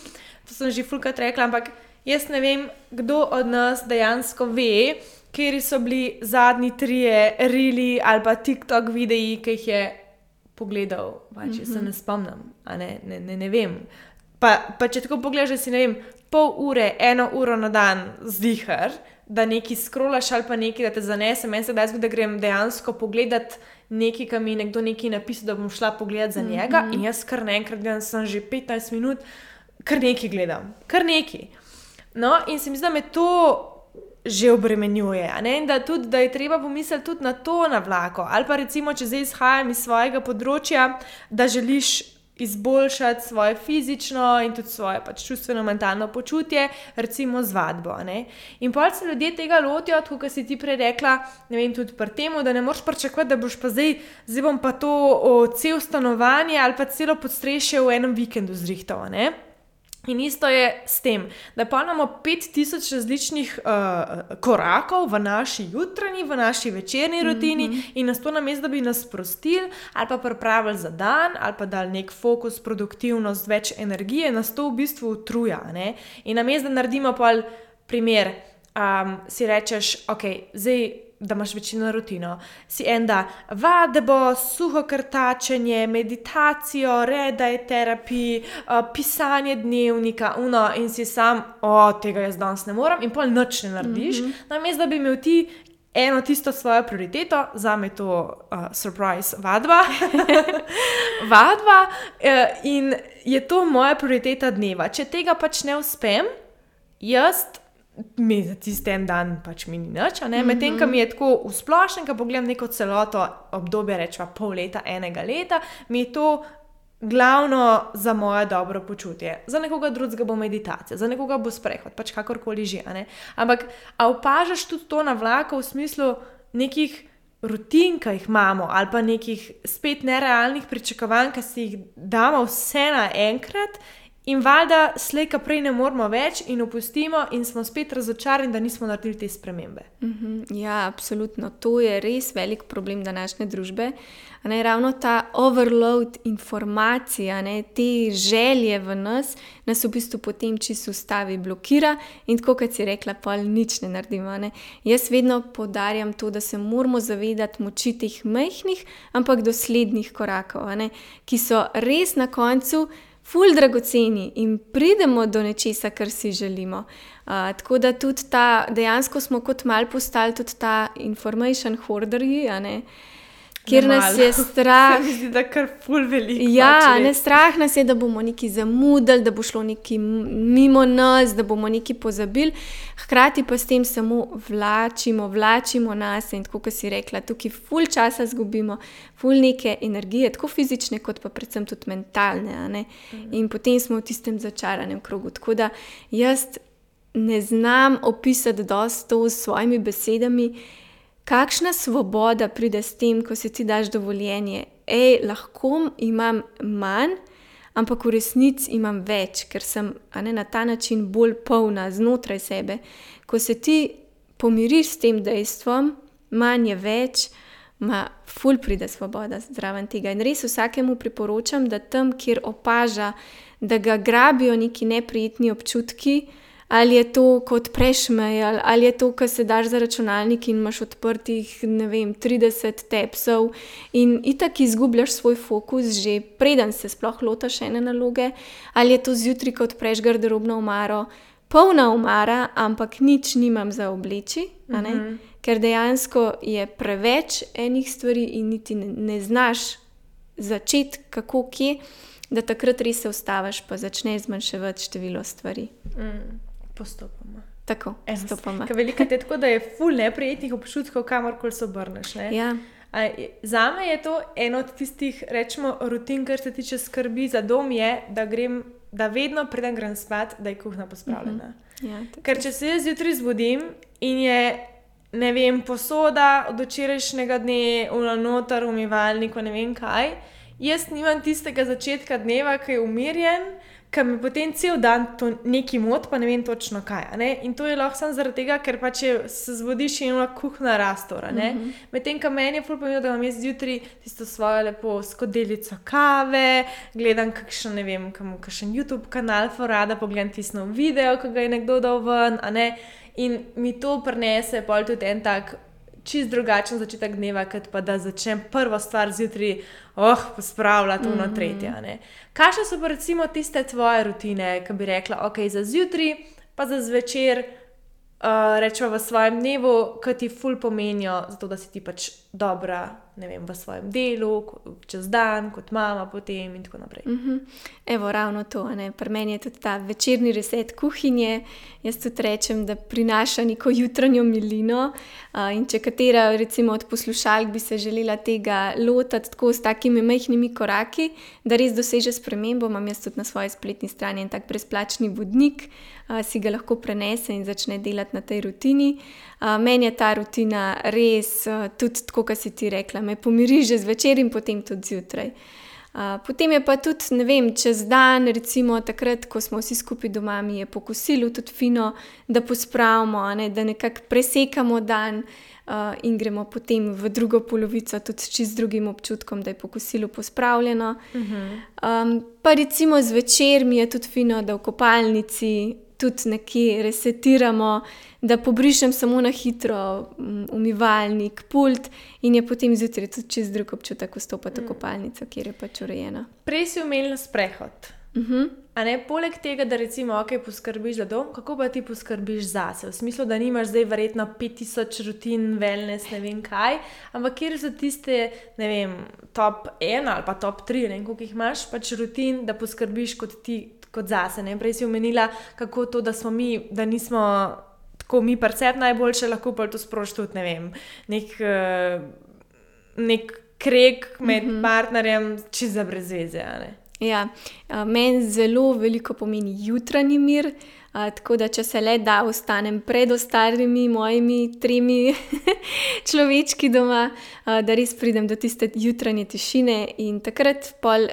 to sem že fulkrat rekla, ampak jaz ne vem, kdo od nas dejansko ve, kateri so bili zadnji 3 reeli ali pa TikTok videi, ki jih je pogledal, če se ne spomnim, ne vem. Pa če tako pogledaš, da si, ne vem, pol ure, 1 uro na dan zdihar, da nekaj scrollaš ali pa nekaj, da te zanese. Meni se kdaj zgodi, da grem dejansko pogledat nekaj, ki mi je nekdo nekaj napisal, da bom šla pogledat za njega in jaz kar naenkrat gledam, sem že 15 minut, kar nekaj gledam, kar nekaj. No, in se mi zdi, da me to že obremenjuje, in da je treba pomisliti tudi na to na vlaku. Ali pa recimo, če zdaj izhajam iz svojega področja, da želiš izboljšati svoje fizično in tudi svoje pač čustveno-mentalno počutje, recimo z vadbo. In potem se ljudje tega lotijo, tako kot si ti prej rekla, ne vem, tudi pri temu, da ne moreš pričakovati, da boš pa zdaj bom pa to cel stanovanje ali pa celo podstrešje v enem vikendu zrihtal, In isto je s tem, da pa imamo 5000 različnih korakov v naši jutranji, v naši večerni rutini in nas to namesto, da bi nas sprostili ali pa pripravili za dan ali pa dali nek fokus, produktivnost, več energije, nas to v bistvu utruja. In namesto, da naredimo pol primer, si rečeš, zdaj, da imaš večino rutino, si da vadbo, suho krtačenje, meditacijo, redaj terapij, pisanje dnevnika, in si sam, tega jaz danes ne morem in pol nič ne narediš, namesto, da bi imel ti eno tisto svojo prioriteto, zame to surprise vadba, in je to moja prioriteta dneva. Če tega pač ne uspem, mi za tisti en dan pač mi ni nič, medtem, ko mi je tako v splošnem, ko pogledam neko celoto obdobje, rečeva pol leta, 1 leta, mi je to glavno za moje dobro počutje. Za nekoga drugega bo meditacija, za nekoga bo sprehod, pač kakorkoli že, Ampak, a opažaš tudi to na vlaku v smislu nekih rutin, ki jih imamo, ali pa nekih spet nerealnih pričakovanj, ki si jih damo vse naenkrat in valjda slej, ka prej ne moramo več in opustimo in smo spet razočarani, da nismo naredili te spremembe. Ja, absolutno. To je res velik problem današnje družbe. Ravno ta overload informacij, te želje v nas v bistvu potem čisto ustavi, blokira in tako, kot si rekla, pol nič ne naredimo. Jaz vedno poudarjam to, da se moramo zavedati moči teh majhnih, ampak doslednih korakov, ki so res na koncu ful dragoceni in pridemo do nečesa, kar si želimo. Tako da tudi dejansko smo kot malo postali tudi ta information hoarderji, Kjer nas je strah. Se mi zdi, da kar ful veliko. Ja, ne, strah nas je, da bomo nekaj zamudili, da bo šlo nekaj mimo nas, da bomo nekaj pozabili. Hkrati pa s tem samo vlačimo nas in tako, kot si rekla, tukaj ful časa zgubimo, ful neke energije, tako fizične, kot pa predvsem tudi mentalne, a ne. In potem smo v tistem začaranem krogu. Tako da jaz ne znam opisati dosti to s svojimi besedami, kakšna svoboda pride s tem, ko si ti daš dovoljenje. Lahko imam manj, ampak v resnici imam več, ker sem na ta način bolj polna znotraj sebe. Ko se ti pomiriš s tem dejstvom, manj je več, ful pride svoboda zraven tega. In res vsakemu priporočam, da tam, kjer opaža, da ga grabijo neki neprijetni občutki, ali je to, ko odpreš mail, ali je to, ko se daš za računalnik in imaš odprtih, 30 tabsov in itak izgubljaš svoj fokus že preden se sploh lotaš ene naloge, ali je to zjutraj, ko odpreš garderobno omaro, polna omara, ampak nič nimam za obleči, ker dejansko je preveč enih stvari in niti ne znaš začeti kako, kje, da takrat res se ustaviš pa začneš zmanjševati število stvari. Postopoma. Tako, postopoma. Ker veliko je tako, da je ful neprijetnih občutkov, kamorkoli se obrneš. Ja. Zame je to eno od tistih, rečemo, rutin, kar se tiče skrbi za dom, je, da vedno preden grem spat, da je kuhna pospravljena. Ja, ker če se jaz zjutraj zbudim in je, ne vem, posoda od včerajšnjega dne noter, umivalniku, ne vem kaj, jaz nimam tistega začetka dneva, ki je umirjen, ker mi potem cel dan to neki mot, pa ne vem točno kaj. In to je lahko samo zaradi tega, ker pa če se zbudiš in ima kuhna rastora. Medtem, ko meni je ful pomembno, da imam jaz zjutraj tisto svojo lepo skodelico kave, gledam kakšen YouTube kanal, rada pogledam tisto video, ko ga je nekdo dal ven, in mi to prinese pol tudi en tak čist drugačen začetek dneva, kot pa da začnem prvo stvar zjutraj, pospravljati ono tretje. Kakšne so pa recimo tiste tvoje rutine, ki bi rekla, za zjutraj, pa za zvečer, rečemo v svojem dnevu, ki ti ful pomenijo, zato da si ti pač dobra, ne vem, v svojem delu, čez dan, kot mama potem in tako naprej. Evo, ravno to, pri meni je tudi ta večerni reset kuhinje. Jaz tudi rečem, da prinaša neko jutranjo milino, in če katera recimo od poslušalk bi se želela tega lotati tako s takimi majhnimi koraki, da res doseže spremembo, imam jaz tudi na svoji spletni strani en tak brezplačni vodnik, si ga lahko prenese in začne delati na tej rutini. Meni je ta rutina res, tudi tako, kot si ti rekla, me pomiri že zvečer in potem tudi zjutraj. Potem je pa tudi, ne vem, čez dan, recimo takrat, ko smo vsi skupaj doma, mi je po kosilu tudi fino, da pospravimo, da nekako presekamo dan, in gremo potem v drugo polovico tudi s čist drugim občutkom, da je po kosilu pospravljeno. Pa recimo zvečer mi je tudi fino, da v kopalnici tudi nekje resetiramo, da pobrišem samo na hitro umivalnik, pult in je potem zjutraj tudi čist drug občutek vstopati v kopalnico, kjer je pač urejena. Prej si omenila sprehod. Poleg tega, da recimo poskrbiš za dom, kako pa ti poskrbiš zase? V smislu, da nimaš zdaj verjetno 5000 rutin, wellness, ne vem kaj, ampak kjer so tiste, ne vem, top 1 ali pa top 3, ne vem, koliko jih imaš, pač rutin, da poskrbiš kot zase. Prej si omenila, kako to, da nismo tako mi percept najboljše, lahko pa to sproži tudi, ne vem, nek kreg med partnerjem, čisto za brez veze, Ja, meni zelo veliko pomeni jutranji mir, tako da če se le da, ostanem pred ostalimi mojimi 3 človečki doma, da res pridem do tiste jutranje tišine in takrat pol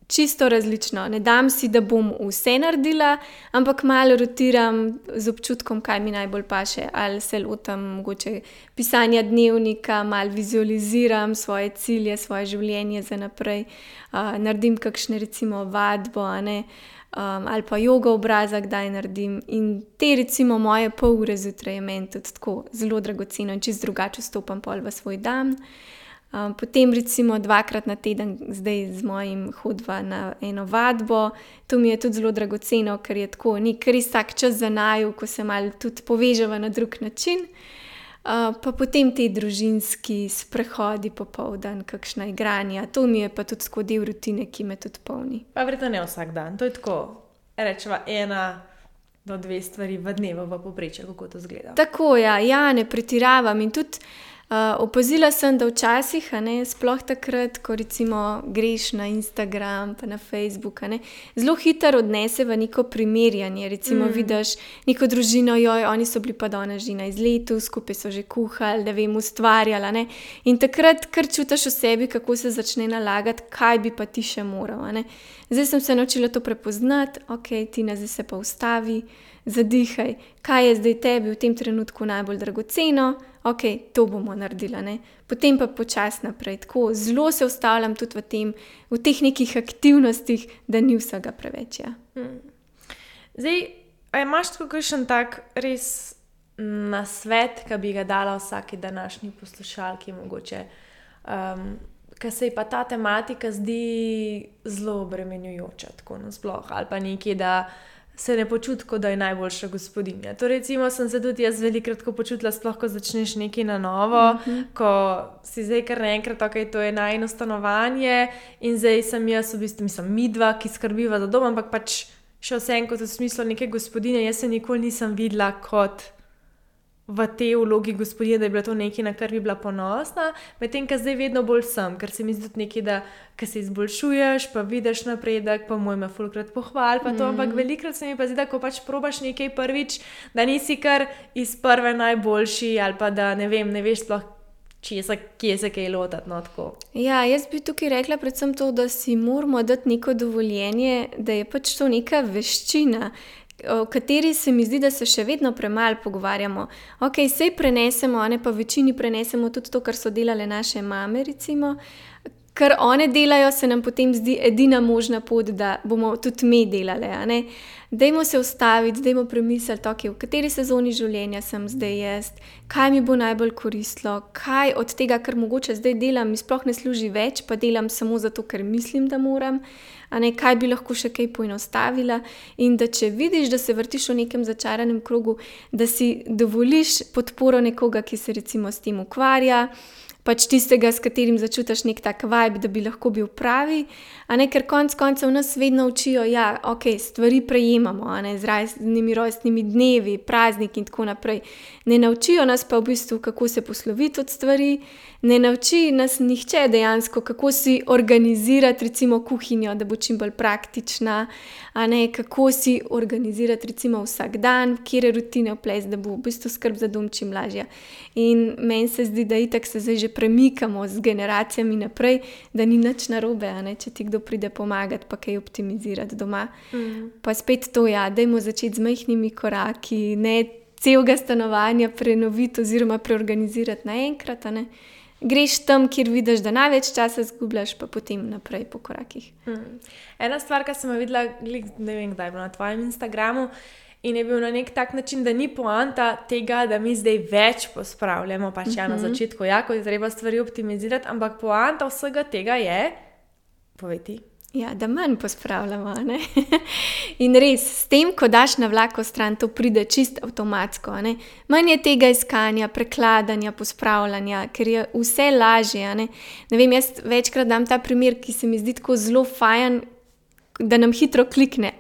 čisto različno. Ne dam si, da bom vse naredila, ampak malo rotiram z občutkom, kaj mi najbolj paše. Ali se lotam mogoče pisanja dnevnika, malo vizualiziram svoje cilje, svoje življenje za naprej, naredim kakšne recimo vadbo, ali pa jogo obraza, kdaj naredim. In te recimo moje pol ure zjutraj je meni tudi tako zelo dragoceno in čisto drugače vstopam pol v svoj dan. Potem recimo 2-krat na teden zdaj z mojim hodva na eno vadbo. To mi je tudi zelo dragoceno, ker je tako nek res tak čas za naju, ko se malo tudi poveževa na drug način. pa potem te družinski sprehodi popoldan, kakšna igranja. To mi je pa tudi tako del rutine, ki me tudi polni. Pa verjetno ne vsak dan, to je tako, rečeva 1 do 2 stvari v dnevu v povprečju, kako to izgleda. Tako, ja, ne pretiravam in tudi opazila sem, da včasih, sploh takrat, ko recimo greš na Instagram pa na Facebook, zelo hitro odnese v neko primerjanje. Recimo vidiš neko družino, oni so bili pa danes že na izletu, skupaj so že kuhali, ustvarjali. In takrat kar čutiš v sebi, kako se začne nalagati, kaj bi pa ti še moral. Zdaj sem se naučila to prepoznati, Tina, zdaj se pa ustavi, zadihaj, kaj je zdaj tebi v tem trenutku najbolj dragoceno, to bomo naredili. Potem pa počasi naprej. Tako zelo se ustavljam tudi v teh nekih aktivnostih, da ni vsega preveč. Ja. Zdaj, imaš tako kakšen tak res nasvet, ki bi ga dala vsaki današnji poslušalki mogoče, ker se ji pa ta tematika zdi zelo obremenjujoča, tako nasploh, ali pa nekaj, da se ne počuti, kot da je najboljša gospodinja. To recimo sem se tudi jaz velikokrat počutila, sploh ko začneš nekaj na novo, ko si zdaj kar naenkrat, to je najino stanovanje in zdaj sem jaz v bistvu, midva, ki skrbiva za dom, ampak pač še vsem kot v smislu neke gospodinje, jaz se nikoli nisem videla kot v tej vlogi gospodinje, da je bilo to nekaj, na kar bi bila ponosna, medtem, ko zdaj vedno bolj sem, ker se mi zdi tudi nekaj, da ko se izboljšuješ, pa vidiš napredek, pa moj me fulkrat pohval, pa to, ampak velikokrat se mi pa zdi, da ko pač probaš nekaj prvič, da nisi kar iz prve najboljši, ali pa da ne veš sploh, kje se kaj lotati, tako. Ja, jaz bi tukaj rekla predvsem to, da si moramo dati neko dovoljenje, da je pač to neka veščina, o kateri se mi zdi, da se še vedno premalo pogovarjamo. Sej prenesemo, pa večini prenesemo tudi to, kar so delale naše mame, recimo. Kar one delajo, se nam potem zdi edina možna pot, da bomo tudi mi delale. Dajmo se ustaviti, dajmo premisliti, v kateri sezoni življenja sem zdaj jaz, kaj mi bo najbolj koristilo, kaj od tega, kar mogoče zdaj delam, mi sploh ne služi več, pa delam samo zato, ker mislim, da moram, kaj bi lahko še kaj poenostavila. In da če vidiš, da se vrtiš v nekem začaranem krogu, da si dovoliš podporo nekoga, ki se recimo s tem ukvarja, pač tistega, s katerim začutiš nek tak vibe, da bi lahko bil pravi, ker konec koncev nas vedno učijo, stvari prejemamo, z raznimi rojstnimi dnevi, prazniki in tako naprej. Ne naučijo nas pa v bistvu, kako se posloviti od stvari, ne nauči nas nihče dejansko, kako si organizirati recimo kuhinjo, da bo čim bolj praktična, kako si organizirati recimo vsak dan, kjer je rutine vples, da bo v bistvu skrb za dom čim lažja. In meni se zdi, da itak se zdaj že premikamo z generacijami naprej, da ni nič narobe, če ti kdo pride pomagati, pa kaj optimizirati doma. Pa spet to, dajmo začeti z majhnimi koraki, ne celega stanovanja prenoviti oziroma preorganizirati naenkrat, Greš tam, kjer vidiš, da največ časa izgubljaš, pa potem naprej po korakih. Ena stvar, ki sem jo videla, ne vem, kdaj je bilo na tvojem Instagramu, in je bil na nek tak način, da ni poanta tega, da mi zdaj več pospravljamo, pač na začetku, ko je treba stvari optimizirati, ampak poanta vsega tega je, povej ti. Ja, da manj pospravljamo, In res, s tem, ko daš na vlako stran, to pride čist avtomatsko, Manj je tega iskanja, prekladanja, pospravljanja, ker je vse lažje, Ne vem, jaz večkrat dam ta primer, ki se mi zdi tako zelo fajn, da nam hitro klikne,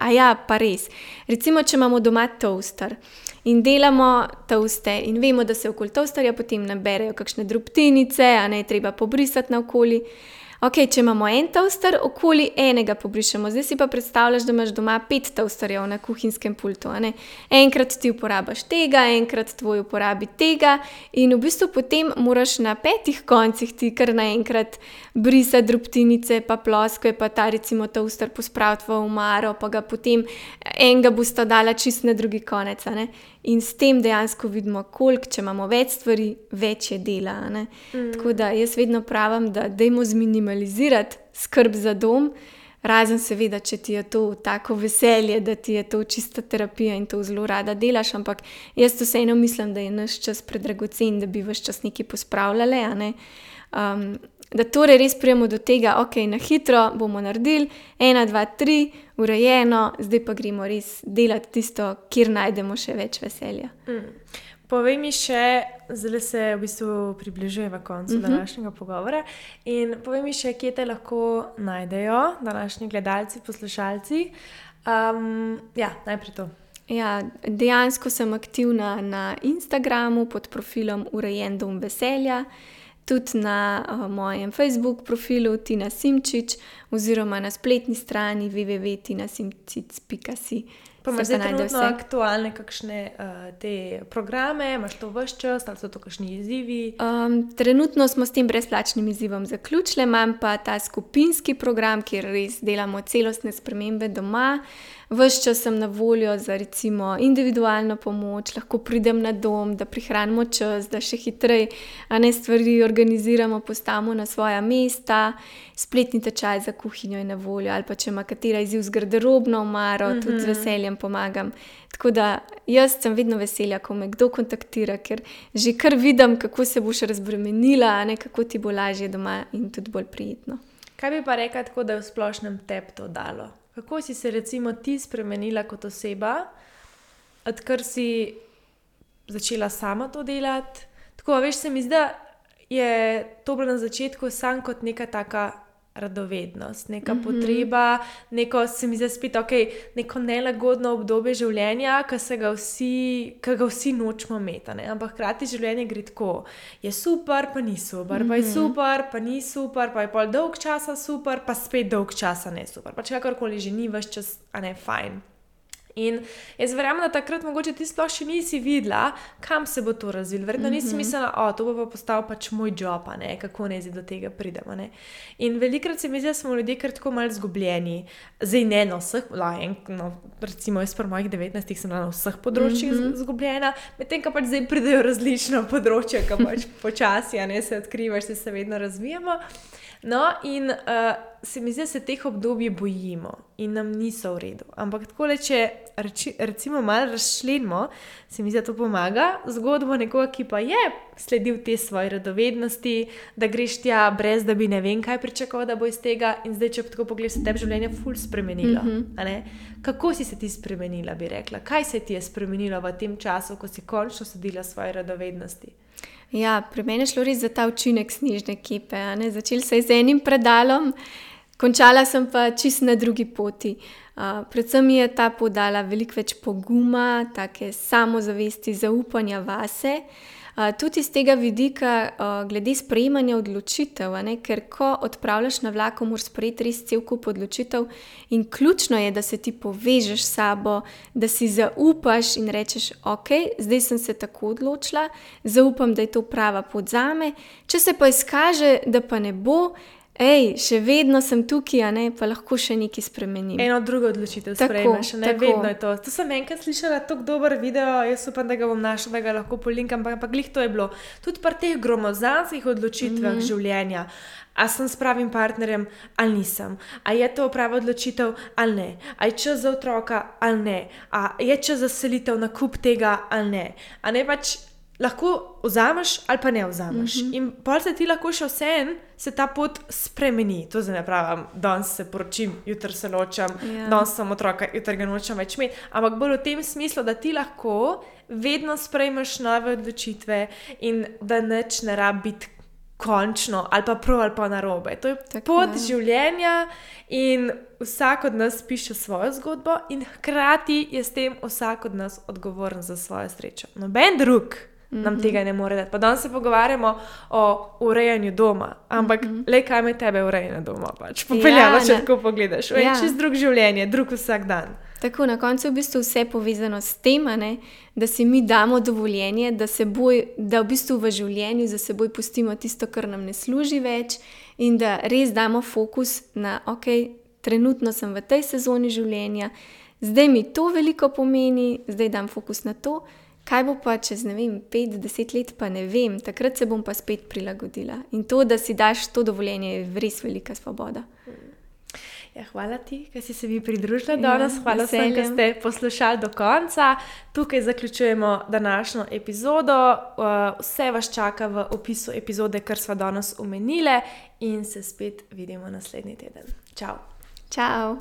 pa res. Recimo, če imamo doma toaster in delamo toaste in vemo, da se okoli toasterja potem naberejo kakšne drobtinice, treba pobrisati naokoli. Če imamo en toaster, okoli enega pobrišemo. Zdaj si pa predstavljaš, da imaš doma 5 toasterjev na kuhinjskem pultu. Enkrat ti uporabiš tega, enkrat tvoj uporabi tega in v bistvu potem moraš na 5 koncih ti kar naenkrat brisati drobtinice, pa ploskve, pa ta recimo toaster pospraviti v omaro, pa ga potem enega bosta dala čist na drugi konec. In s tem dejansko vidimo, koliko, če imamo več stvari, več je dela. Tako da jaz vedno pravim, da dajmo zminimalizirati skrb za dom, razen seveda, če ti je to tako veselje, da ti je to čista terapija in to zelo rada delaš, ampak jaz vseeno mislim, da je naš čas predragocen, da bi ves čas nekaj pospravljali, da torej res prijemo do tega, na hitro bomo naredili, 1, 2, 3, urejeno, zdaj pa gremo res delati tisto, kjer najdemo še več veselja. Povej mi še, zdaj se v bistvu približujemo koncu današnjega pogovora in povej mi še, kje te lahko najdejo današnji gledalci, poslušalci. Najprej to. Ja, dejansko sem aktivna na Instagramu pod profilom Urejen dom veselja, tudi na mojem Facebook profilu Tina Simčič oziroma na spletni strani www.tinasimčič.si. Pa imaš zdaj trenutno aktualne kakšne te programe, imaš to ves čas, ali so to kakšni izzivi? Trenutno smo s tem brezplačnim izzivom zaključili, imam pa ta skupinski program, kjer res delamo celostne spremembe doma. Ves čas sem na voljo za recimo individualno pomoč, lahko pridem na dom, da prihranimo čas, da še hitreje stvari organiziramo, postavimo na svoja mesta. Spletni tečaj za kuhinjo je na voljo, ali pa če ima katera izziv z garderobno omaro, tudi z veseljem pomagam. Tako da jaz sem vedno veselja, ko me kdo kontaktira, ker že kar vidim, kako se boš razbremenila, kako ti bo lažje doma in tudi bolj prijetno. Kaj bi pa rekla tako, da je v splošnem tebi to dalo? Kako si se recimo ti spremenila kot oseba, odkar si začela sama to delati? Tako, veš, se mi zdi, da je to bilo na začetku sam kot neka taka radovednost, neka potreba, neko, se mi zdi spet, neko nelagodno obdobje življenja, ki ga vsi nočemo imeti, ampak hkrati življenje gre tako, je super, pa ni super, pa je super, pa ni super, pa je pol dolg časa super, pa spet dolg časa ne super, pa če kakorkoli že ni ves čas, fajn. In jaz verjamem, da takrat mogoče ti sploh še nisi videla, kam se bo to razvilo. Verjetno nisi mislila, to bo pa postal pač moj job, kako naj do tega pridemo. In velikokrat se mi zdi, da smo ljudje kar tako malo zgubljeni. Zdaj ne na vseh, recimo jaz pri mojih 19 sem bila na vseh področjih zgubljena, medtem ko pač zdaj pridejo različna področja, ko pač počasi se odkrivaš, se vedno razvijamo. No, in se mi zdi, da se teh obdobij bojimo in nam niso v redu. Ampak takole, če recimo malo razčlenimo, se mi zdi, da to pomaga zgodbo nekoga, ki pa je sledil te svoje radovednosti, da greš tja brez, da bi ne vem kaj pričakoval, da bo iz tega, in zdaj, če tako pogledaš, se tebi življenje ful spremenilo. Kako si se ti spremenila, bi rekla? Kaj se ti je spremenilo v tem času, ko si končno sledila svoje radovednosti? Ja, pri meni je šlo res za ta učinek snežne kepe. Začeli se je z enim predalom, končala sem pa čisto na drugi poti. Predvsem mi je ta pot dala veliko več poguma, take samozavesti, zaupanja vase. Tudi iz tega vidika glede sprejemanja odločitev, ker ko odpravljaš na vlaku, moraš sprejeti res cel kup odločitev in ključno je, da se ti povežeš s sabo, da si zaupaš in rečeš, zdaj sem se tako odločila, zaupam, da je to prava pot zame. Če se pa izkaže, da pa ne bo, še vedno sem tukaj, pa lahko še nekaj spremenim. Eno drugo odločitev sprejmeš, vedno je to. To sem enkrat slišala, tako dober video, jaz upam, da ga bom našla, da ga lahko polinkam, ampak glih to je bilo. Tudi pri teh gromozanskih odločitvah življenja, a sem s pravim partnerjem ali nisem, a je to prava odločitev ali ne, a je čas za otroka ali ne, a je čas za selitev, nakup tega ali ne. A ne pač lahko vzameš ali pa ne vzameš. In pol se ti lahko še vseeno se ta pot spremeni. To zdaj ne pravim, danes se poročim, jutri se ločam, danes sem otroka, jutri ga nočem več imeti. Ampak bolj v tem smislu, da ti lahko vedno sprejmeš nove odločitve in da nič ne rabi biti končno ali pa prav ali pa narobe. To je pot življenja in vsak od nas piše svojo zgodbo in hkrati je s tem vsak od nas odgovoren za svojo srečo. Noben drug nam tega ne more dati. Pa danes se pogovarjamo o urejanju doma, ampak kaj me tebe urejanje doma pač popeljalo, če tako pogledaš. Čist drug življenje, drug vsak dan. Tako, na koncu je v bistvu vse povezano s tem, da si mi damo dovoljenje, da v bistvu v življenju za seboj pustimo tisto, kar nam ne služi več in da res damo fokus na, trenutno sem v tej sezoni življenja, zdaj mi to veliko pomeni, zdaj dam fokus na to. Kaj bo pa čez, 5-10 let, pa ne vem, takrat se bom pa spet prilagodila. In to, da si daš to dovoljenje, je res velika svoboda. Ja, hvala ti, ker si se mi pridružila danes. Hvala vsem, ki ste poslušali do konca. Tukaj zaključujemo današnjo epizodo. Vse vas čaka v opisu epizode, kar sva danes omenile, in se spet vidimo naslednji teden. Čau. Čau.